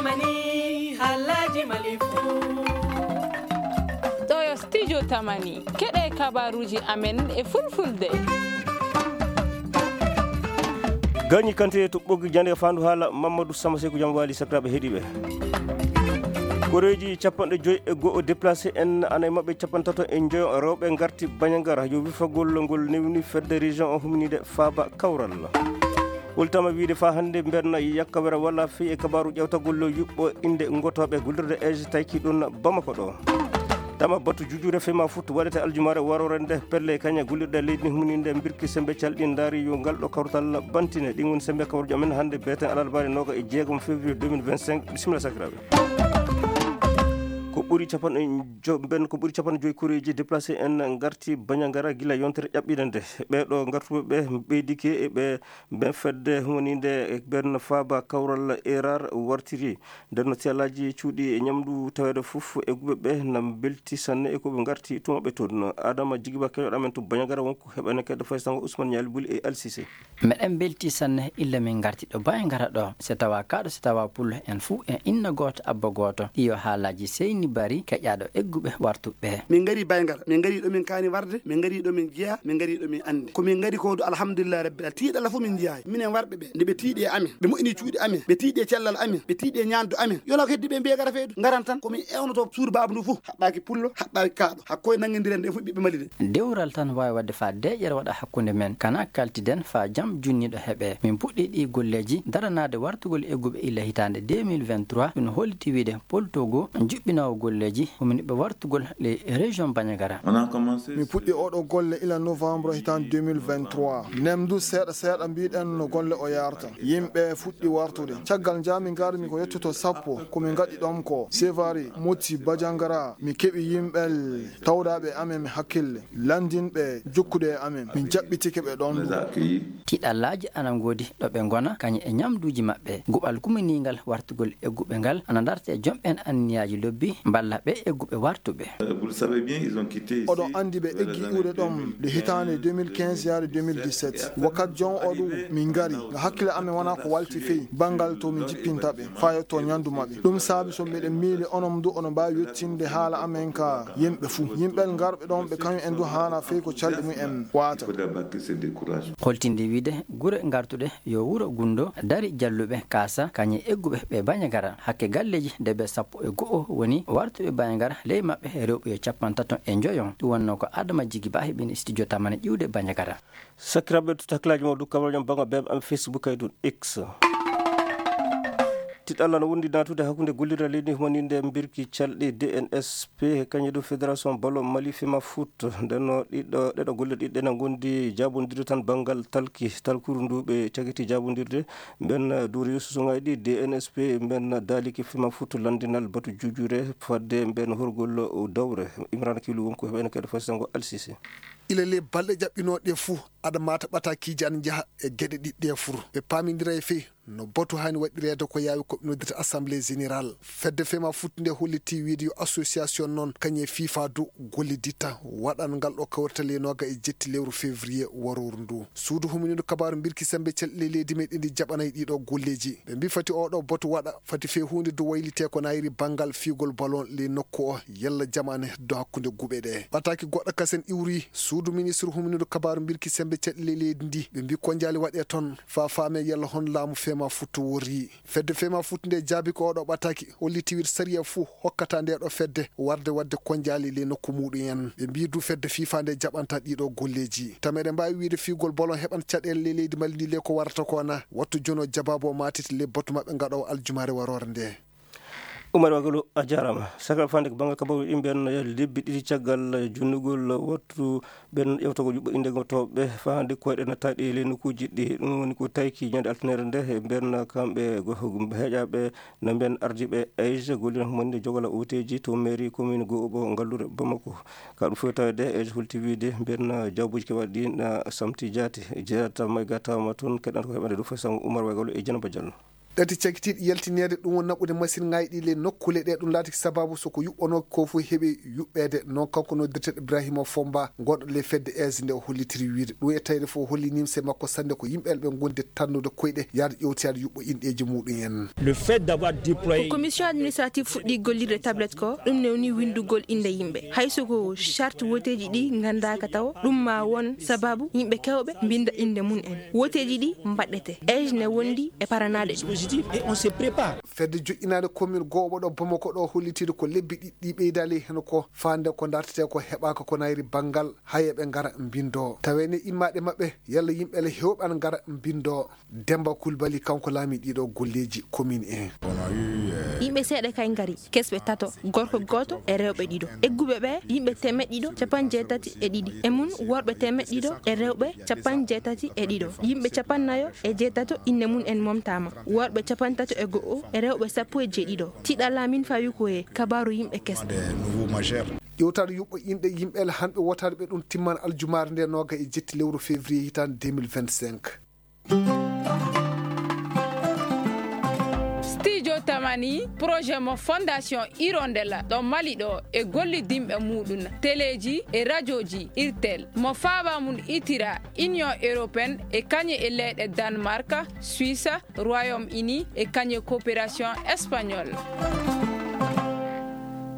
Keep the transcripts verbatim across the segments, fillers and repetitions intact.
Mani, halaji malifu. Ɗo yo studio Tamani. Keɗe kabaruji amen e fulfulde. Gañi kante to ɓoggi jande fandu haala Mamadou Samba Seku jam wali sakiraɓe heɗiɓe. Koreji capanɗe joyi e go'o déplacé en ana e maɓɓe capantato e joyo rewɓe garti Bañagara yo wifagol ngol newni fedde région o humnide faaba kawral. Holtama wiide fa hannde mbenna yakkawere walla fii e kabaru ƴewtagol yuɓɓo innde ngotooɓe gollirde ej tayki ɗum Bamako ɗo. Tama batu jujure fema fut waɗete aljumare warore nde pelle kaña gollirɗe leydi ni humininde mbirki sembe calɗi ndaari yo ngal ɗo kawtal bantine. Ɗin woni sembe kawrujo men hannde beten alarbaare noga e jeegom février deux mille vingt-cinq. Bisimilla sakiraɓe. Ko ɓuri capanɗe jo-, mben ko ɓuri capanɗe joyi koreji déplacé en ngarti Bañagara gila yontere ƴaɓɓiɗe nde. Ɓeɗo ngartuɓe ɓe ɓeydike e ɓe Ben fedde humaninde e ben faaba kawral erar wartiri. Nder no siyalaaji cuuɗi e ñamdu taweede fof e guɓe ɓe nam belti sanne e ko ɓe ngarti tuma ɓe toon. Adama Jigiba keñoɗo amen to Bañagara wonko heɓane kadi faysango Ousmane Ñaali Buli e Alsise. Meɗen belti sanne illa min ngarti ɗo Bañagara ɗo. Se tawa kaɗo se tawa pullo en fuu en inna gooto abba gooto. Iyo haalaaji seyni bari keƴaɗo egguɓe wartuɓe. Min ngari Bañagara, min ngari ɗo min kaani warde, min ngari ɗo min jeya, min ngari ɗo min andi. Ko min ngari ko du alhamdulillah rabbil alamin. Tiiɗalla fof min njiyaay. Minen warɓe ɓe, nde ɓe tiiɗi e amen, ɓe moƴƴini cuuɗi amen, ɓe tiiɗi e cellal amen, ɓe tiiɗi e ñaandu amen. Yona ko heddi ɓe mbiye gara feydu, ngaran tan ko min ewnoto suudu baaba ndu fof. Haɓɓaaki pullo, haɓɓaaki kaaɗo. Hakko e nanngindire nde fof ɓiɓɓe maliɗen. Dewral tan waawi waɗde faa deeƴere waɗa hakkunde men. Kana kaltiden faa jam junniiɗo heɓe. Min puɗɗi ɗi golleeji daranaade wartugol egguɓe illa hitaande deux mille vingt-trois. Ɗum holliti wiide Pol Togo, juɓɓinoowo golleeji, huminɓe wartugol le région Bañagara. On a commencé. Mi puɗɗi oɗo golle ila novembre hitan deux mille vingt-trois. Nemdu seeɗa seeɗa mbiɗen no golle o yarta. Yimɓe fuɗɗi wartude. Caggal njaami ngarmi ko yettoto sappo, ko min ngaɗi ɗon ko Sevari, Moti, Bajangara. Mi keɓi yimɓe tawɗaaɓe amen mi hakkille. Lanndinɓe jokkude e amen. Min jaɓɓitike ɓe ɗon. Tiɗallaaji ana ngoodi ɗo ɓe ngona, kañum e ñamduuji maɓɓe. Guɓal kuminiingal wartugol egguɓe ngal ana darta e jom'en anniyaaji lobbi, mballa ɓe egguɓe wartuɓe. Oɗon anndi ɓe eggi iwde ɗon nde hitaande deux mille quinze yaade deux mille dix-sept. Wakkati jon o ɗum min ngari, nga hakkille amen wona ko walti fey banngal to min jippinta ɓe, faa yetto ñanndu maɓɓe. Ɗum saabi so miɗen miili onon du oɗon mbaawi yettinde haala amen ka yimɓe fuu. Yimɓe ngarɓe ɗon ɓe kañum en du haana fey ko calɗi mum en waata. Holtinde wiide gure ngartuɗe yo wuro Gunndo dari jalluɓe kaasa kañum e egguɓe ɓe Bañagara. Hakke galleeji debe sappo e go'o woni wartuɓe Bañagara, ley maɓɓe rewɓe yo capantato e njoyo. Ɗum wonnoo ko Adama Jigi Ba heɓini studio Tamane ƴiwde Bañagara. Sakiraaɓe, to taklaaji mo du kabaruji am banngal bee am Facebook e dow X. Tiɗalla no wondi naatude hakkunde gollirde leydi humaninde mbirki calɗi D N S P e kañum e dow Fédération Ballon Mali Fema Foot. Nden no ɗiɗo, ɗeɗo golle ɗiɗi ɗe na ngondi jaabondirde tan banngal talki, talkuru ndu ɓe cagiti jaabondirde. Mben duuri susuŋaaji ɗi D N S P, mben daaliki Fema Foot lanndinal batu juujure fadde mben horgol dawre. Imran Kilu wonko heɓene kadi fasitango Alsise. Ila ley balɗe ƴaɓɓinooɗe ɗe fuu, aɗa maata ɓataakiiji ana njaha e geɗe ɗiɗi ɗe fuu. Ɓe paamindira e fey no batu haani waɗireede ko yaawi ko ɓe noddirta Assemblée Générale. Fedde Fema Foot nde holliti wiide yo association noon kañum e FIFA du golliditta waɗan ngal ɗo kawrital e nooga e jetti lewru février warooru ndu. Suudu humindu kabaaru mbirki sembe celɗe leydi meɗen ndi jaɓanay ɗiɗo golleeji. Ɓe mbi fati oɗo batu waɗa, fati fey huunde du waylite ko nayri banngal fiigol ballon ley nokku o, yalla jamaane heddo hakkunde guɓe ɗe. Ɓataaki goɗɗo kasen iwri, suudu ministre humindu kabaaru mbirki sembe celɗe leydi ndi. Ɓe mbi ko njaali waɗe toon, faa faame yalla hon laamu Fema Foot worri. Fedde Fema Foot nde jaabi ko oɗo ɓataaki, holliti wiide sariya fuu hokkata nde ɗo fedde warde waɗde ko njaali ley nokku muɗum en. Ɓe mbi du fedde FIFA nde jaɓanta ɗiɗo golleeji. Tama eɗen mbaawi wiide fiigol ballon heɓan caɗeele ley leydi Mali ndi le ko warata ko na wattu jono jabaabu o maatiti le batu maɓɓe ngaɗowo aljumaare waroore nde. Umar Wagalo, a jaaraama. Sakal fande ko banngal kabaru ɗin ɓen lebbi ɗiɗi caggal junnugol wattu ɓen ƴewtagol yuɓɓo innde ngotooɓe faa hannde koyɗe nattaaɗe e ley nokkuuji ɗi. Ɗum woni ko tayki ñande altinere nde, e ɓen kamɓe go-, heƴaaɓe no ɓen ardiiɓe Aïs gollirnde humaninde jogala ooteeji to mairie commune goo ɓo Ngallure Bamako. Ka ɗum fof tawde Aïs holti wiide ɓen jawbuuji keɓaaɗi ɗi na samti jaati. Jeerata may gatama toon keɗanta ko heɓande ɗum fof sango Umar Wagalo e Janaba Diallo. Ɓetti cakkitiiɗi yaltineede ɗum woni naɓude masiŋaaji ɗi le nokkuule ɗe ɗum laatiki sababu so ko yuɓɓanoo ko fof heɓi yuɓɓeede. Noon kanko noddirteeɗo Ibrahima Fomba, gonɗo le fedde aise nde o hollitiri wiyde ɗum e tawde fof holli nimse makko sanne ko yimɓe ɓe ngonde tannude koyɗe yaade ƴewtoyaade yuɓɓo inɗeeji muɗum en. Le fait d'avoir déployé ko commission administrative fuɗɗi gollirde tablette ko ɗum newni winndugol innde yimɓe. Hayso ko charte woteeji ɗi nganndaaka taw, ɗum ma won sababu yimɓe kewɓe mbinnda innde mum en. Woteeji ɗi mbaɗɗete, age ne wondi e paranaade ɗum. Dispositif et on se prépare. Fedde joƴƴinaande commune gooɓo ɗo Bamako ɗo hollitiiɗo ko lebbi ɗiɗi ɓeydaali heen ko faande ko dartetee ko heɓaaka ko nayri banngal hayeɓe ngara mbinndo. Taweene immaaɗe maɓɓe yalla yimɓe le heewɓe an ngara mbinndo. Demba Kulbali kanko laami ɗiɗo golleeji commune en. Yimɓe seeɗa kay ngari, kesɓe tato, gorko gooto e rewɓe ɗiɗo. Egguɓe ɓe yimɓe temeɗɗe ɗiɗo capanɗe jeetati e ɗiɗi. E mum worɓe temeɗɗe ɗiɗo e rewɓe capanɗe jeetati e ɗiɗo. Yimɓe capannayo e jeetato inne mum en momtaama. Worɓe capantato e go'o e rewɓe sappo e jeeɗiɗo. Tiɗa laamin fawi ko e kabaaru yimɓe kesɓe. Ƴewtaade yuɓɓo inɗe yimɓe le hanɓe wotaade ɓe ɗum timman aljumaare nde nooga e jetti lewru février hitaande deux mille vingt-cinq. Studio Tamani, projet mo Fondation Hirondelle ɗo Mali ɗo e gollidinɓe muɗum teleeji e rajooji Irtel mo faaba mum itira Union Européenne e kañe e leyɗe Danemark, Suisse, Royaume-Uni e kañe coopération espagnole.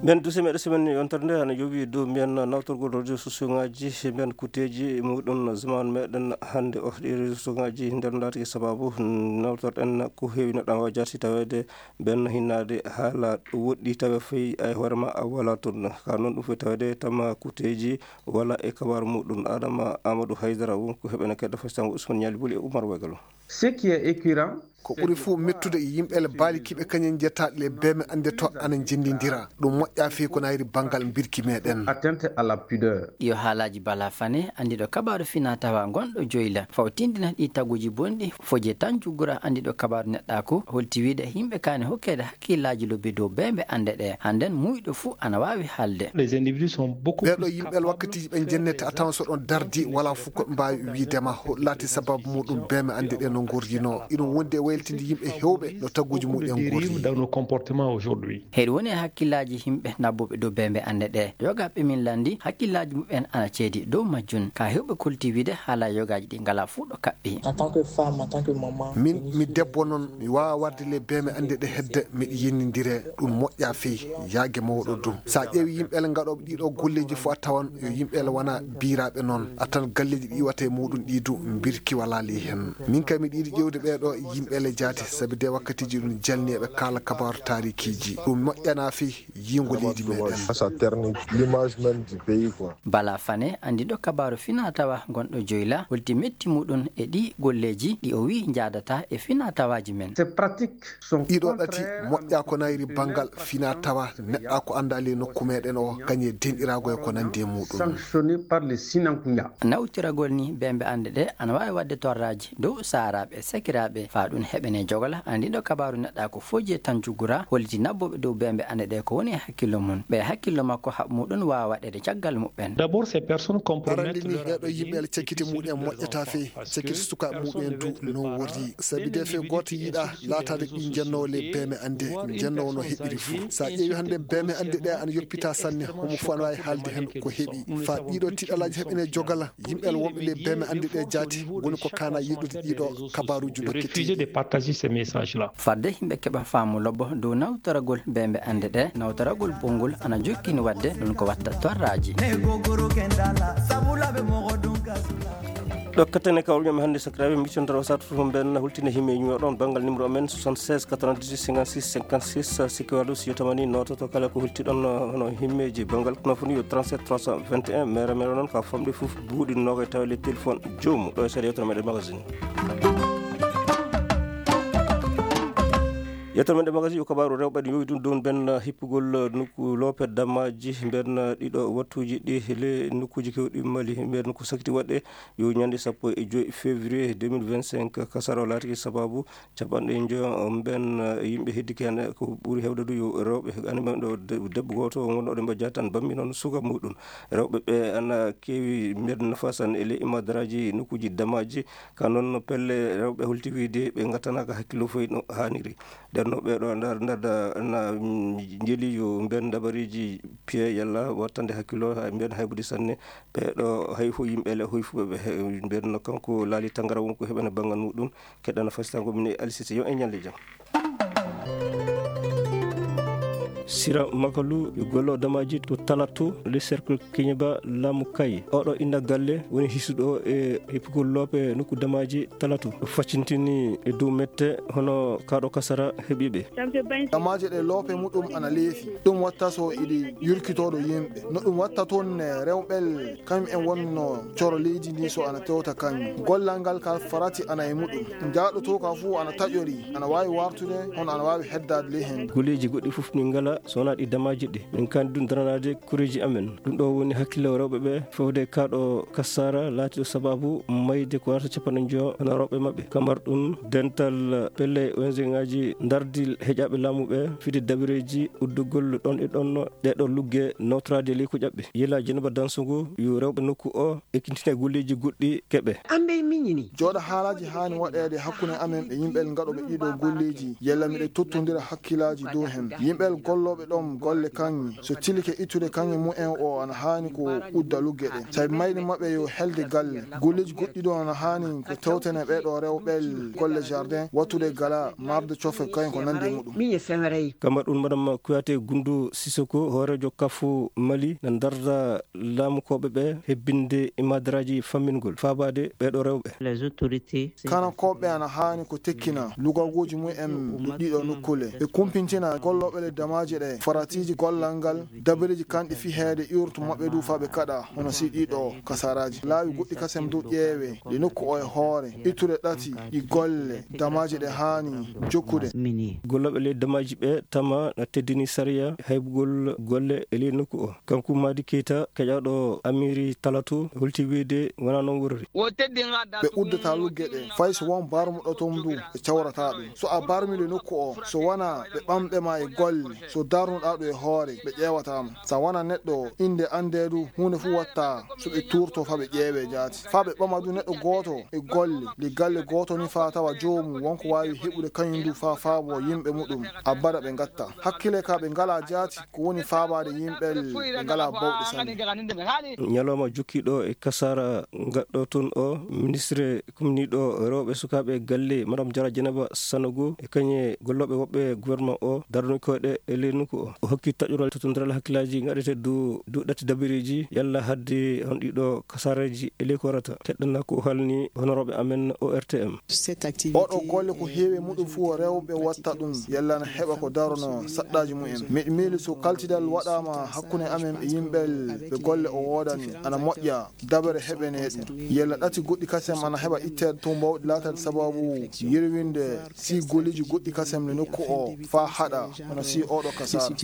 Mbiyen duse meɗe semaine yontere nde ana yowi dow mbiyen nawtorgol réseau sociaux ngaji mbiyen kutteji muɗum zaman meɗen hannde o ɗi réseau sociaux ngaji nden laatiki sababu nawtorɗen ko heewi neɗɗo an wawa jarti taweede ben hinnaade haala woɗɗi tawe fayi ay hoore ma a wala toon ka noon ɗum fof taweede tama kutteji wala e kabaru muɗum adama amadou haydara wonko heɓene kedda fasitan usman ñali buli e oumar wegalo. Ce qui est écœurant, ko ɓuri fof mettude e yimɓe le baali kiɓe kañen jetta le beme annde to ana njenndindira ɗum moƴƴa fii ko nayri banngal mbirki meɗen. Atteinte à la pudeur. Ɗiyo haalaaji Bala Fane anndiɗo kabaaru fina tawa gonɗo joyla faw tindina ɗi taguji bonɗi foje tan juggura anndiɗo kabaaru neɗɗaaku holti wiide yimɓe kaani hokkeede hakkillaaji lobbi dow bembe annde ɗe hannden muuyɗo fuu ana waawi haalde. Les individus sont beaucoup ɓeɗo yimɓe wakkatiji ɓe jennete a tawan so ɗon dardi wala fof ko mbaawi wiidema laati sababu muɗum beme annde ɗe no ngordino iɗum wondi e wayltinde yimɓe hewɓe no taguji muɗen ngordi. Dans nos comportements aujourd'hui. Heɗi woni e hakkillaaji yimɓe nabbuɓe dow bembe annde ɗe yogaɓe min lanndi hakkillaaji muɓɓen ana ceedi dow majjun ka hewɓe kolti wiide haala yogaaji ɗi ngala fuu ɗo kaɓɓi. En tant que femme, en tant que maman. Min mi debbo noon mi waawa warde le beme annde ɗe hedde miɗo yennindire ɗum moƴƴa fii yaage mawɗo dum so a ƴeewi yimɓe le ngaɗooɓe ɗiɗo golleeji fof a tawan yo yimɓe le wona biiraaɓe noon a tan galleeji ɗi iwata e muɗum ɗi du mbirki wala ley heen. Min kay miɗo yiɗi ƴeewde ɓeeɗo yimɓe le jaati sabi de wakkatiji ɗum jalni eɓe kaala kabaaru taarikiiji ɗum moƴƴana fii yiingo leydi meɗen. Ça ternit l'image même du pays quoi. Bala Fane anndiɗo kabaaru fina tawa gonɗo joyla holti metti muɗum e ɗi golleeji ɗi o wi njaadata e fina tawaaji men. Ces pratiques sont Ɗiɗo ɗati contraires moƴƴa ko nayri banngal fina tawa neɗɗa ko annda ley nokku meɗen o kañe denɗirago e ko nandi e muɗum. Sanctionnées par les Sinankunya. Nawtiragol ni bembe annde ɗe ana waawi waɗde torraaji dow saaraaɓe sakiraaɓe faa ɗum heɓene jogola anndiɗo kabaaru neɗɗa ko foje tan juggura holliti nabbuɓe dow bembe annde ɗe ko woni e hakkillo mum ɓe hakkillo makko haɓ muɗum waawa waɗede caggal muɓɓen. D'abord, ces personnes Arande compromettent ni leur ɓeɗo yimɓe avenir le cakkiti muɗen moƴƴata fii cakkiti sukaɓe muɓen du non worri sabi de fii goto yiɗa laatade ɗi jennowo le beme annde jennowo no heɓiri fuu sa ƴeewi hannde beme annde ɗe ana yoppita sanne homo fof ana wawi haalde heen ko heɓi faa ɗiɗo tiɗalaji heɓene jogala yimɓe le wonɓe le beme annde ɗe jaati woni ko kana yiɗude ɗiɗo kabaruji de refuser de dokkete. Partager ces messages-là. Fadde yimɓe keɓa faamu lobbo dow nawtoragol bembe annde ɗe nawtoragol bonngol ana jokkini waɗde ɗum ko watta torraaji. Ɗo kattane kawruñam hannde sakiraaɓe mbiccondoro sat fof mben hultinde himme ñuwa ɗon banngal numéro men soixante-seize quatre-vingt-dix-huit cinquante-six cinquante-six sikki waɗu si yotamani nototo kala ko hulti ɗon hono himmeji banngal kono foni yo trente-sept trois cent vingt et un mere mere noon ka famɗi fof buuɗi noga e tawa le téléphone joomu ɗo e seeɗa yewtere meɗen magazine. Yettere men ɗe magasin yo kabaaru rewɓe ɗe yowi ɗum dow mben hippugol nokku loope damaaji mben ɗiɗo wattuuji ɗi le nokkuuji kewɗi Mali. Mben ko sakiti waɗde yo ñande sappo e joy février deux mille vingt-cinq, kasara o laatiki sababu capanɗe njo mben yimɓe heddiki heen. Ko ɓuri heewde du yo rewɓe, ani mben ɗo de-, debbo gooto wonɗo ɗo mbo jaatan bammi noon suka muɗum. Rewɓe ɓe ana keewi mben nafasan e le imadaraaji nokkuuji damaaji. Ka noon pelle rewɓe holti wiyde ɓe ngattanaaka hakkillo foy no haaniri. Nden no ɓeeɗo ndar-, ndarda na, mm, njeli yo mben dabareeji piye yalla wattande hakkillo ha mben haybude sanne. Ɓeeɗo hay fo yimɓe le hoy fu ɓe he-, mben no kanko laali tangara won ko heɓana banngal muɗum. Keɗana fasitango min e Alisisi yo en ñalli jam. Sira Makalu, gollo damaaji to Talatu, le cercle Kiñaba Lamu Kay. Oɗo inna galle woni hisuɗo e hippugol loope nokku damaaji Talatu. Ɗo faccintini e dow mette hono kaɗo kasara heɓiɓe. Damaaji ɗe loope muɗum ana leefi. Ɗum watta so iɗi yurkitoɗo yimɓe. No ɗum watta toon ne rewɓel kañum en wonno coro leydi ndi so ana tewta kañum. Gollal ngal ka farati ana e muɗum. Jaaɗo to ka fuu ana taƴori, ana waawi wartude, hono ana waawi heddaade ley heen. Golleeji goɗɗi fof min ngala so wonaa ɗi damaaji ɗi. Min kandi ɗum daranaade koreeji amen. Ɗum ɗo woni hakkille rewɓe ɓe fewde kaɗo kasara laatiɗo sababu mayde ko warata capanɗe njo hono rewɓe maɓɓe. Kamar ɗum dental pelle O N G ŋaaji ndardi heƴaaɓe laamu ɓe fide dabireeji uddugol ɗon e ɗon ɗeɗo lugge nawtoraade ley ko ƴaɓɓe. Yela Jeneba Dansugu yo rewɓe nokku o ekkintina golleeji goɗɗi keɓe. Amɓe miñini. Jooɗa haalaaji haani waɗeede hakkunde amen e yimɓe ngaɗooɓe ɗiɗo golleeji, yalla miɗe tottondira hakkilaaji dow heen. Yimɓe gollooɓe ɗoon golle kaŋŋe, so tilike ittude kaŋŋe mumen o ana haani ko udda lugge ɗe. Sabi mayde maɓɓe yo helde galle. Golleeji goɗɗi ɗo ana haani ko tewtene ɓee ɗo rewɓe golle jardin, wattude gala, marde cofe kaŋŋe ko nanndi e muɗum. Miñe femerey. Kamar ɗum Madame Kouyaté Goundou Sissoko, hooreejo kafu Mali, na ndarda laamukooɓe ɓe hebbinde e madaraaji fammingol faabaade ɓee ɗo rewɓe. Les autorités. Kanakooɓe ana haani ko tekkina lugagooji mum en ɗiɗo nokkule. Ɓe kumpintina gollooɓe le damaaji ɗe, faratiiji gollal ngal, dabareeji kanɗi fiheede iwrtu maɓɓe du faa ɓe kaɗa, hono si ɗiɗo kasaraaji. Laawi goɗɗi kasem du ƴeewe, ɗe nokku o e hoore, ittude ɗati, ɗi golle, damaaji ɗe haani jokkude. Mini. Gollooɓe ley damaaji ɓe tama na teddini sariya haybugol golle e ley nokku o. Kanko Madi Keita, keƴaaɗo Amiri Talatu, holti wiyde wonaa noon worri. Ɓe uddata lugge ɗe, fay so won barmuɗo toon du, ɓe cawrataa ɗum. So a barmii le nokku o, so wonaa ɓe ɓamɓe ma e golle, so darnuɗaa ɗum e hoore, ɓe ƴeewataa ma. So a wonaa neɗɗo innde anndee du, huunde fuu watta so ɓe tuurto faa ɓe ƴeewee jaati. Faa ɓe ɓama du neɗɗo gooto e golle, le galle gooto ni faa tawa joomum wonko waawi heɓude kañum du faa faabo yimɓe muɗum. Abada ɓe ngatta. Hakkile ka ɓe ngalaa jaati, ko woni faabaade yimɓe ɓe ngalaa bawɗe sanne. Ñalawma jokkiiɗo e kasara ngaɗɗo toon o, ministre kumniiɗo rewɓe sukaaɓe galle, Madame Jara Jeneba Sanogo, e kañe gollooɓe woɓɓe gouvernement o, darnude koyɗe e ley nokku o. O hokki taƴoral totondiral hakkillaaji ngaɗete du, du ɗatti dabireeji, yalla hadde hon ɗiɗo kasaraji e ley ko warata. Teɗɗana ko halni honorooɓe amen O R T M. Oɗo golle ko heewi muɗum fuu rewɓe watta ɗum, yalla na heɓa ko darono saɗɗaaji mumen. Miɗo miili so kaltidal waɗaama hakkunde amen e yimɓe ɓe golle o woodani, ana moƴƴa. Dabere heɓene ɗum. Yalla ɗati goɗɗi kasem ana heɓa itteede to mbawɗi laataade sababu yerwinde si golleeji goɗɗi kasem le nokku o faa haɗa, hono si oɗo kasara.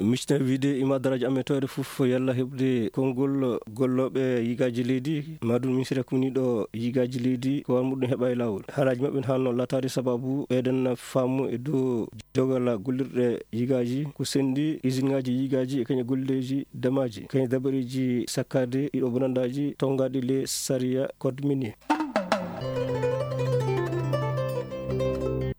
Micna wiide imadaraaji amen tawde fof yalla heɓde konngol gollooɓe yigaaji leydi, maa ɗum ministre kumniiɗo yigaaji leydi, ko war muɗum heɓa e laawol. Haalaaji maɓɓe ne haanno laataade sababu ɓeyden faamu e dow jogal gollirɗe yigaaji, ko senndi isinŋaaji yigaaji e kañe golleeji damaaji, kañe dabareeji sakkaade ɗiɗo bonandaaji tawgaaɗi le sariya code minier.